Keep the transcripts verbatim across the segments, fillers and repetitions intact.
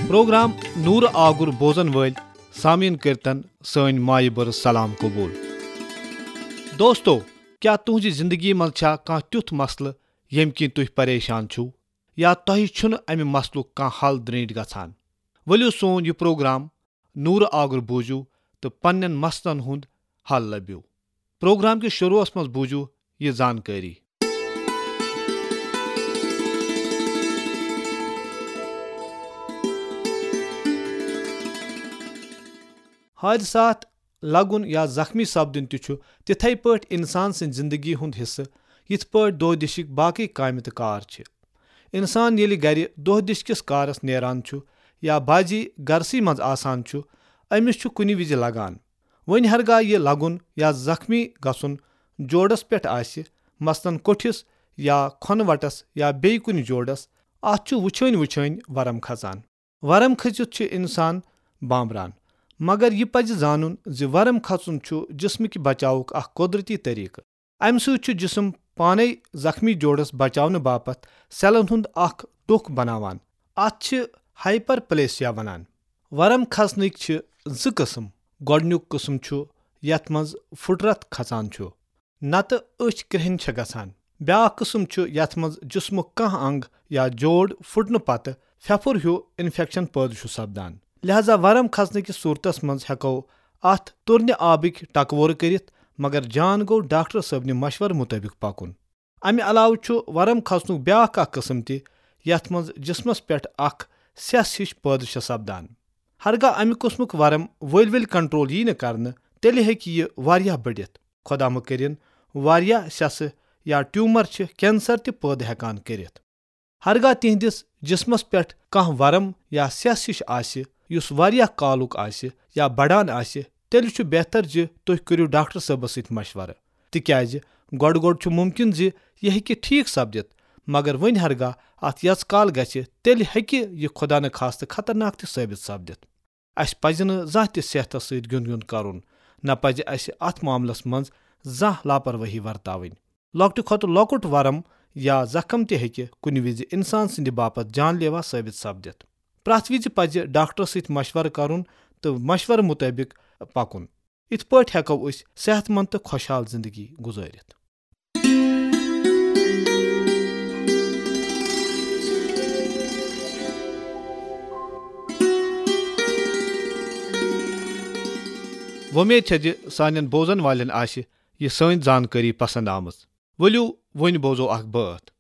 Programme نورٕ آگُر بوزن وٲلۍ سامعیٖن کٔرتن سٲنۍ مایہِ بٔرٕژ سلام قبول۔ دوستو، کیٛاہ تُہنٛزِ زندگی منٛز چھا کانٛہہ تیُتھ مسلہٕ ییٚمہِ کِنۍ تُہۍ پریشان چھِو، یا تۄہہِ چھُنہٕ امہِ مسلُک کانٛہہ حل درینٹھ گژھان؟ ؤلِو سون یہِ پروگرام نورٕ آگُر بوٗزِو تہٕ پننٮ۪ن مسلن ہُنٛد حل لٔبِو۔ پروگرام کِس شروعس منٛز بوٗزِو یہِ زانکٲری۔ حٲدثاتھ لگُن یا زخمی سپدُن تہِ چھُ تِتھے پٲٹھۍ انسان سٕنٛدِ زندگی ہُنٛد حصہٕ، یِتھ پٲٹھۍ دۄہ دِشِکۍ باقٕے کامہِ تہٕ کار چھِ۔ انسان ییٚلہِ گرِ دۄہ دِش کِس کارس نیران چھُ یا بعضی گرسٕے منٛز آسان چھُ، أمِس چھُ کُنہِ وِزِ لگان۔ وۄنۍ ہرگاہ یہِ لگُن یا زخمی گژھُن جوڑس پٮ۪ٹھ آسہِ، مثلاً کوٹھِس یا کھۄنہٕ وٹس یا بیٚیہِ کُنہِ جوڑس، اتھ چھُ وٕچھٲنۍ وٕچھٲنۍ ورم کھژان۔ ورم کھٔژِتھ چھُ انسان بامبران، مگر یہِ پزِ زانُن زِ ورم کھژُن چھُ جسمٕکہِ بچاوُک اکھ قۄدرتی طریقہٕ۔ امہِ سۭتۍ چھُ جسم پانے زخمی جوڑس بچاونہٕ باپتھ سیلن ہُنٛد اکھ ٹوٚکھ بناوان۔ اتھ چھِ ہائپرپلیسیا ونان۔ ورم کھسنٕکۍ چھِ زٕ قٕسم۔ گۄڈٕنیُک قٕسم چھُ یتھ منٛز پھُٹرتھ کھسان چھُ، نتہٕ أچھ کرٛہِنۍ چھےٚ گژھان۔ بیاکھ قٕسم چھُ یتھ منٛز جسمُک کانٛہہ انگ یا جوڑ پھُٹنہٕ پتہٕ پھپھُر ہیُو انفیکشن پٲدٕ چھُ سپدان۔ لہذا ورم کھسنہٕ کِس صورتس منٛز ہٮ۪کو اتھ تُرنہِ آبٕکۍ ٹکورٕ کٔرِتھ، مگر جان گوٚو ڈاکٹر صٲبنہِ مشورٕ مُطٲبِق پکُن۔ امہِ علاوٕ چھُ ورم کھسنُک بیاکھ اکھ قٕسم تہِ، یتھ منٛز جسمس پٮ۪ٹھ اکھ سیٚس ہِش پٲدٕ چھےٚ سپدان۔ ہرگاہ امہِ قٕسمُک ورم ؤلۍ ؤلۍ کنٹرول ییہِ نہٕ کرنہٕ، تیٚلہِ ہیٚکہِ یہِ واریاہ بٔڑِتھ۔ خۄدا مہ کٔرِن، واریاہ سیٚسہٕ یا ٹیومر چھِ کینسر تہِ پٲدٕ ہٮ۪کان کٔرِتھ۔ ہرگاہ تِہنٛدِس جسمس پٮ۪ٹھ کانٛہہ ورم یا سیٚس ہِش آسہِ، یُس واریاہ کالُک آسہِ یا بڑان آسہِ، تیٚلہِ چھُ بہتر زِ تُہۍ کٔرِو ڈاکٹر صٲبس سۭتۍ مشورٕ، تِکیازِ گۄڈٕ گۄڈٕ چھُ ممکن زِ یہِ ہیٚکہِ ٹھیک سپدِتھ، مگر وۄنۍ ہرگاہ اتھ یژ کال گژھِ، تیٚلہِ ہیٚکہِ یہِ خۄدا نخواستہٕ خطرناک تہِ ثٲبت سپدِتھ۔ اسہِ پزِ نہٕ زانٛہہ تہِ صحتس سۭتۍ گیُنٛد گیُنٛد کرُن، نہ پزِ اسہِ اتھ معاملس منٛز زانٛہہ لاپروٲہی ورتاوٕنۍ۔ لۄکٹہِ کھۄتہٕ لۄکُٹ ورم یا زخم تہِ ہیٚکہِ کُنہِ وِزِ انسان سٕنٛدِ باپتھ جان لیوا ثٲبت سپدِتھ۔ پرٛٮ۪تھ وِزِ پزِ ڈاکٹرس سۭتۍ مشورٕ کرُن تہٕ مشورٕ مُطٲبِق پکُن۔ یِتھ پٲٹھۍ ہٮ۪کو أسۍ صحت مند تہٕ خۄشحال زندگی گُزٲرِتھ۔ وۄمید چھےٚ زِ سانٮ۪ن بوزن والٮ۪ن آسہِ یہِ سٲنۍ زانکٲری پسند آمٕژ۔ ؤلِو، وۄنۍ بوزو اکھ بٲتھ۔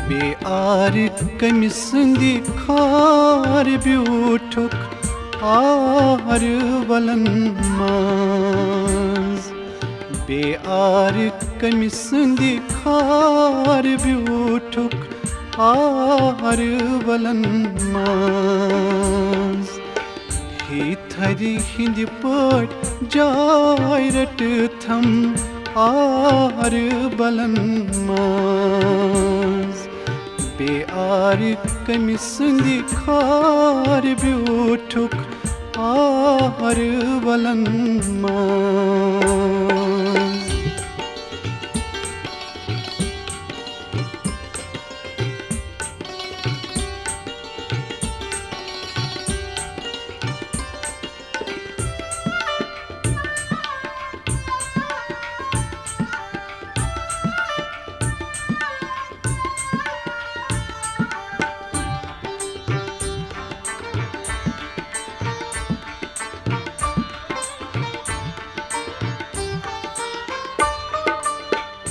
بے آرِ کٔمۍ سٕنٛدِ خار بیوٗٹھُکھ آر ولن منٛز۔ بے آرِ کٔمۍ سٕنٛدِ خار بیوٗٹھُکھ آر ولن منٛز۔ ہی تھرِ ہِنٛدِ پٲٹھۍ جاے رٔٹتھم آر بلن منٛز۔ بے آرِ کٔمۍ سٕنٛدِ خار بیوٗٹھُکھ آر بلن منٛز۔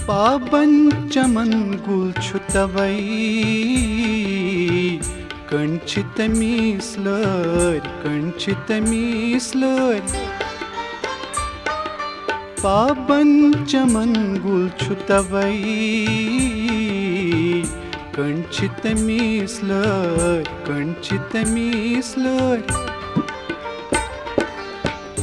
پابن چمن گُل چھُ توے، کٔنۍ چھِ تٔمِس لٲرۍ، کٔنۍ چھِ تٔمِس لٲرۍ۔ پابن چمن گُل چھُ توے، کٔنۍ چھِ تٔمِس لٲرۍ، کٔنۍ چھِ تٔمِس لٲرۍ۔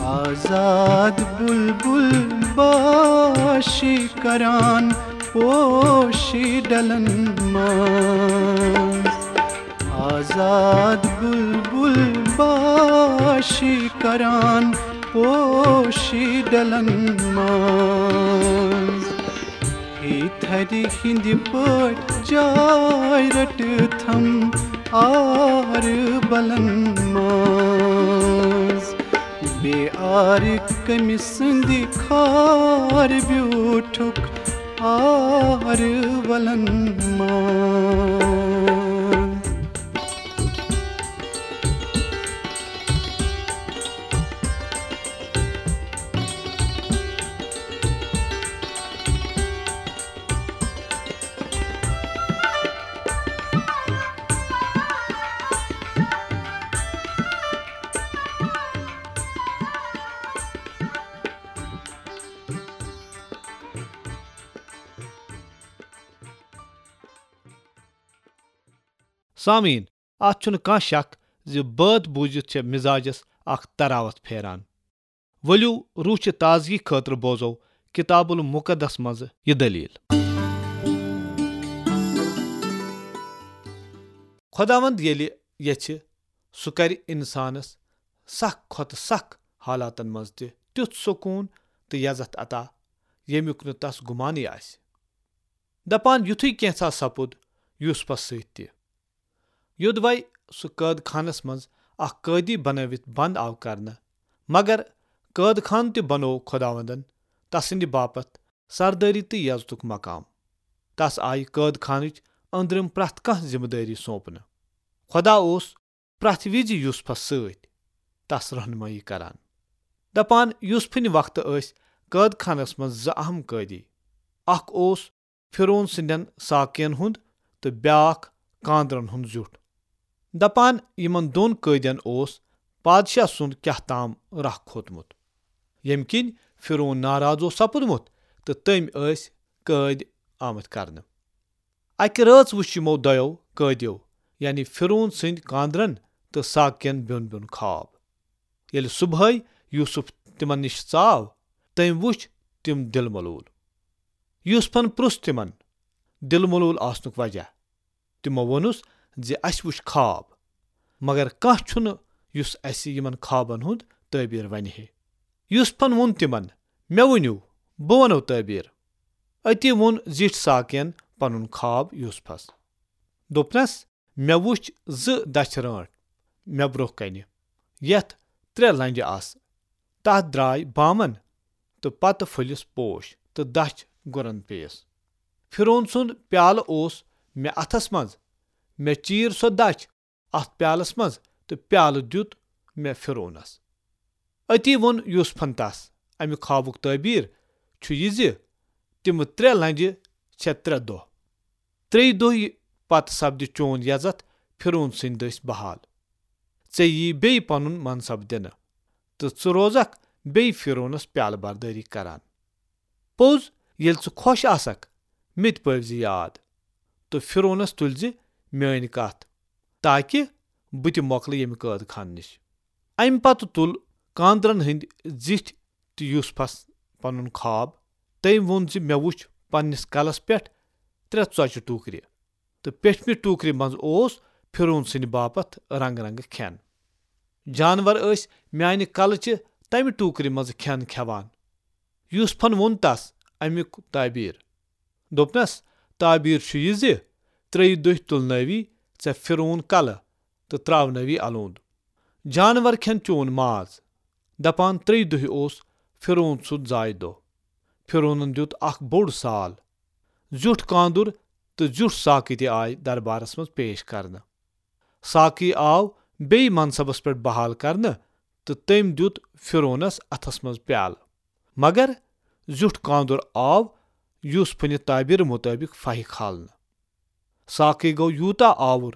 آزاد بُلبُل باشی کران پوشی ڈلن منٛز۔ آزاد بُلبُل باشی کران پوشی ڈلن منٛز۔ ہے تھرِ ہٕنٛدِ پٲٹھۍ جاے رٔٹتھم آر بلن منٛز۔ بے آر کٔمۍ سٕنٛدِ خار بیوٗٹھُکھ آر ولن منٛز۔ سامعیٖن، اتھ چھُنہٕ کانٛہہ شک زِ بٲتھ بوٗزِتھ چھےٚ مزاجس اکھ تراوت پھیران۔ ؤلِو، روح چہِ تازگی خٲطرٕ بوزو کتاب المقدس منٛز یہِ دٔلیٖل۔ خۄداوند ییٚلہِ یژھِ، سُہ کرِ انسانس سخ کھۄتہٕ سخ حالاتن منٛز تہِ تیُتھ سکوٗن تہٕ یزتھ عطا، ییٚمیُک نہٕ تس گُمانٕے آسہِ۔ دپان یُتھُے کینٛژھا سپُد یوسفس سۭتۍ تہِ۔ یوٚدوے سُہ قٲد خانس منٛز اکھ قٲدی بنٲوِتھ بند آو کرنہٕ، مگر قٲد خان تہِ بنوو خۄداوندن تسٕنٛدِ باپتھ سردٲری تہٕ یزتُک مقام۔ تس آیہِ قٲد خانٕچ أنٛدرِم پرٛٮ۪تھ کانٛہہ ذمہٕ دٲری سونپنہٕ۔ خۄدا اوس پرٛٮ۪تھ وِزِ یوسفس سۭتۍ تس رہنمٲیی کران۔ دپان یوسفٕنہِ وقتہٕ ٲسۍ قٲد خانس منٛز زٕ اہم قٲدی۔ اکھ اوس فرعون سٕنٛدٮ۪ن ساقین ہُنٛد تہٕ بیاکھ کاندرن ہُنٛد زیُٹھ۔ دپان یِمن دۄن قٲدٮ۪ن اوس پادشاہ سُنٛد کیاہ تام راہ کھوتمُت، ییٚمہِ کِنۍ فرعون ناراض اوس سپُدمُت تہٕ تٔمۍ ٲسۍ قٲدۍ آمٕتۍ کرنہٕ۔ اکہِ رٲژ وُچھ یِمو دۄیو قٲدیو، یعنی فرعون سٕنٛدۍ کاندرن تہٕ ساقین بیوٚن بیوٚن خواب۔ ییٚلہِ صبحٲے یوسف تِمن نِش ژاو، تٔمۍ وُچھ تِم دِل ملوٗل۔ یوسفن پرُژھ تِمن دِل ملوٗل آسنُک وجہ۔ تِمو ووٚنُس زِ اسہِ وُچھ خواب، مگر کانٛہہ چھُنہٕ یُس اسہِ یِمن خوابن ہُنٛد تعبیر ونہِ ہے۔ یوسفن ووٚن تِمن، مےٚ ؤنِو، بہٕ ونو تعبیر۔ أتی ووٚن زِٹھۍ ساقین پنُن خواب یوسفس۔ دوٚپنس، مےٚ وُچھ زٕ دچھِ رٲنٹھ مےٚ برونٛہہ کنہِ، یتھ ترٛےٚ لنجہِ آسہٕ۔ تتھ درٛاے بامن تہٕ پتہٕ پھٔلِس پوش تہٕ دچھ گُرن پیٚیس۔ فرعون سُنٛد پیالہٕ اوس مےٚ اتھس منٛز۔ مےٚ چیٖر سۄ دچھ اتھ پیالس منٛز تہٕ پیالہٕ دیُت مےٚ فرعونس۔ أتی ووٚن یوسفن تس، امہِ خوابُک تعبیر چھُ یہِ زِ تِمہٕ ترٛےٚ لنجہِ چھےٚ ترٛےٚ دۄہ۔ ترٛیٚیہِ دۄہہِ پتہٕ سپدِ چون یزتھ فرعون سٕنٛدِ دٔسۍ بحال۔ ژےٚ یِیہِ بیٚیہِ پنُن منصب دِنہٕ تہٕ ژٕ روزکھ بیٚیہِ فرعونس پیالہٕ بردٲری کران۔ پوٚز، ییٚلہِ ژٕ خۄش آسکھ، مےٚ تہِ پٲوۍ زِ یاد تہٕ فرعونس تُلۍ زِ میٲنۍ کتھ، تاکہ بہٕ تہِ مۄکلہٕ ییٚمہِ قٲد خانہٕ نِش۔ امہِ پتہٕ تُل کاندرن ہٕنٛدۍ زِٹھۍ تہٕ یوسفس پنُن خواب۔ تٔمۍ ووٚن زِ مےٚ وُچھ پننِس کلس پٮ۪ٹھ ترٛےٚ ژۄچہِ ٹوٗکرِ تہٕ پیٚٹھمہِ ٹوٗکرِ منٛز اوس فرعون سٕنٛدِ باپتھ رنگہٕ رنگہٕ کھٮ۪ن۔ جانور ٲسۍ میانہِ کلہٕ چہِ تمہِ ٹوٗکرِ منٛز کھٮ۪ن کھٮ۪وان۔ یوسفن ووٚن تس امیُک تعبیر۔ دوٚپنس، تعبیر چھُ یہِ زِ ترٛیٚیہِ دۄہہِ تُلنٲوی ژےٚ فرعون کلہٕ تہٕ تراونٲوی الوند۔ جانور کھٮ۪ن چون ماز۔ دپان ترٛیٚیہِ دۄہہِ اوس فرعون سُنٛد زایہِ دۄہ۔ فرعونن دیُت اکھ بوٚڑ سال۔ زیُٹھ کاندُر تہٕ زیُٹھ ساقی تہِ آے دربارس منٛز پیش کرنہٕ۔ ساقی آو بیٚیہِ منصبس پٮ۪ٹھ بحال کرنہٕ تہٕ تٔمۍ دیُت فرعونس اتھس منٛز پیالہٕ۔ مگر زیُٹھ کاندُر آو یوسفٕنہِ تعبیرٕ مُطٲبِق فاہہِ کھالنہٕ۔ ساقی گوٚو یوٗتاہ آوُر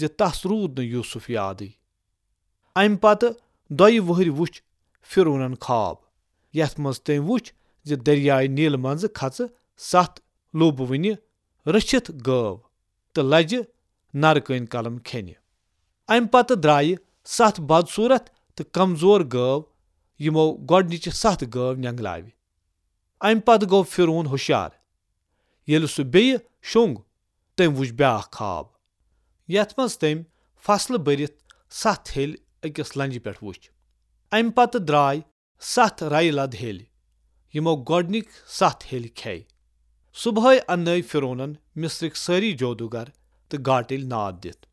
زِ تس روٗد نہٕ یوسف یادٕے۔ امہِ پتہٕ دۄیہِ وُہرۍ وُچھ فرعونن خواب، یتھ منٛز تٔمۍ وُچھ زِ دریاے نیل منٛزٕ کھژٕ ستھ لوٗبہٕ وٕنہِ رٔچھِتھ گٲو۔ تہٕ لجہِ نرٕ کٔنۍ کلم کھیٚنہِ۔ امہِ پتہٕ درٛایہِ ستھ بدصوٗرت تہٕ کمزور گٲو، یِمو گۄڈنِچہِ ستھ گٲو نینگلاوِ۔ امہِ پتہٕ گوٚو فرعون ہُشیار۔ ییٚلہِ سُہ بیٚیہِ شوٚنٛگ، تٔمۍ وُچھ بیٛاکھ خواب، یتھ منٛز تٔمۍ فصلہٕ بٔرِتھ ستھ ہیٚلۍ أکِس لنجہِ پٮ۪ٹھ وُچھ۔ امہِ پتہٕ درٛاے ستھ رَیہِ لد ہیٚلۍ، یِمو گۄڈنِکۍ ستھ ہیٚلۍ کھیٚے۔ صبحٲے اننٲوۍ فرعونن مصرٕکۍ سٲری جادوگر تہٕ گاٹٕلۍ ناد دِتھ،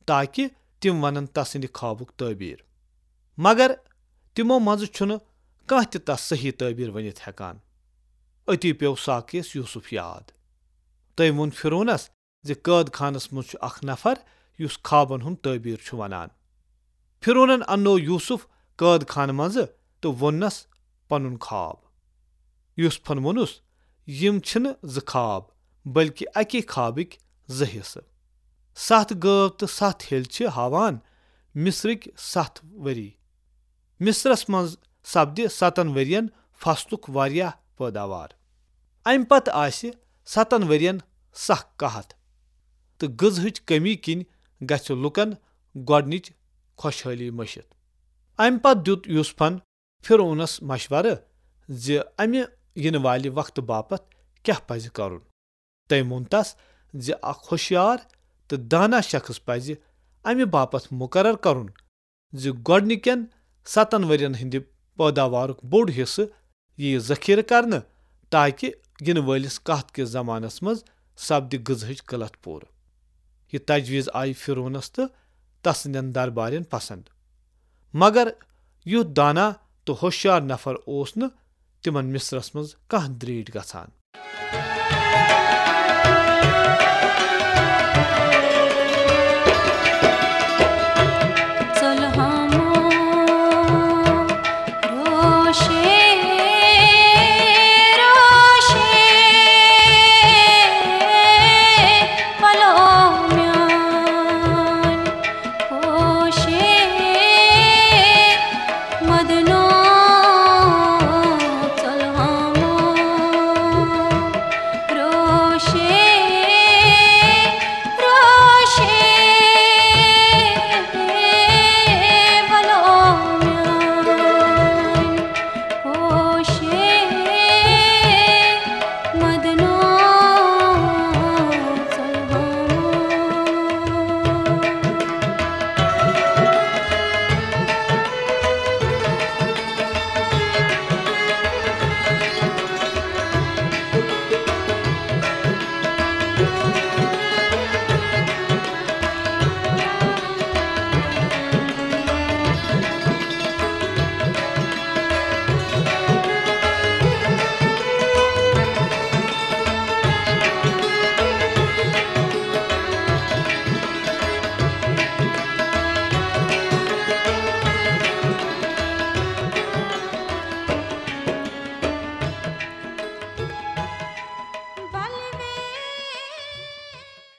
تاکہ تِم ونن تسٕنٛدِ خوابُک تعبیر۔ مگر تِمو منٛزٕ چھُنہٕ کانٛہہ تہِ تس صحیح تعبیر ؤنِتھ ہٮ۪کان۔ أتی پیوٚو ساقیَس یوسف یاد۔ تٔمۍ ووٚن فرعونس زِ قٲد خانس منٛز چھُ اکھ نفر یُس خوابن ہُنٛد تعبیر چھُ ونان۔ فرعونن اننوو یوسف قٲد خانہٕ منٛزٕ تہٕ ووٚننس پنُن خواب۔ یوسفن ووٚنُس، یِم چھِنہٕ زٕ خواب، بلکہ اکی خوابٕکۍ زٕ حصہٕ۔ ستھ گٲو تہٕ ستھ ہیٚلۍ چھِ ہاوان مصرٕکۍ ستھ ؤری۔ مصرس منٛز سپدِ ستن ؤرین فصلُک واریاہ پٲداوار۔ امہِ پتہٕ آسہِ ستن ؤرین سخ قحط، تہٕ غذہٕچ کمی کِنۍ گژھِ لوٗکن گۄڈنِچ خۄشحٲلی مٔشِتھ۔ امہِ پتہٕ دیُت یوسفن فرعونس مشورٕ زِ امہِ یِنہٕ والہِ وقتہٕ باپتھ کیاہ پزِ کرُن۔ تٔمۍ ووٚن تس زِ اکھ ہوشیار تہٕ دانا شخص پزِ امہِ باپتھ مقرر کرُن زِ گۄڈنِکٮ۪ن ستن ؤرین ہٕنٛدِ پٲداوارُک بوٚڑ حصہٕ یِیہِ ذخیرٕ کرنہٕ، تاکہ یِنہٕ وٲلِس قحط کِس زمانس منٛز سپدِ غذہٕچ قلت پوٗرٕ۔ یہِ تجویز آیہِ فرعونس تہٕ تسٕنٛدٮ۪ن دربارین پسند۔ مگر یُتھ دانا تہٕ ہوشیار نفر اوس نہٕ تِمن مصرس منٛز کانٛہہ دریٖٹھ گژھان۔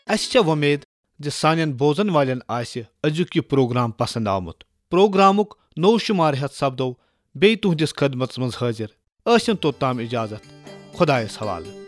اسہِ چھےٚ وۄمید زِ سانٮ۪ن بوزن والٮ۪ن آسہِ أزیُک یہِ پروگرام پسند آمُت۔ پروگرامُک نوٚو شمارٕ ہٮ۪تھ سپدو بیٚیہِ تُہنٛدِس خدمتس منٛز حٲضِر۔ ٲسِن توٚتام اجازت۔ خۄدایس حوالہٕ۔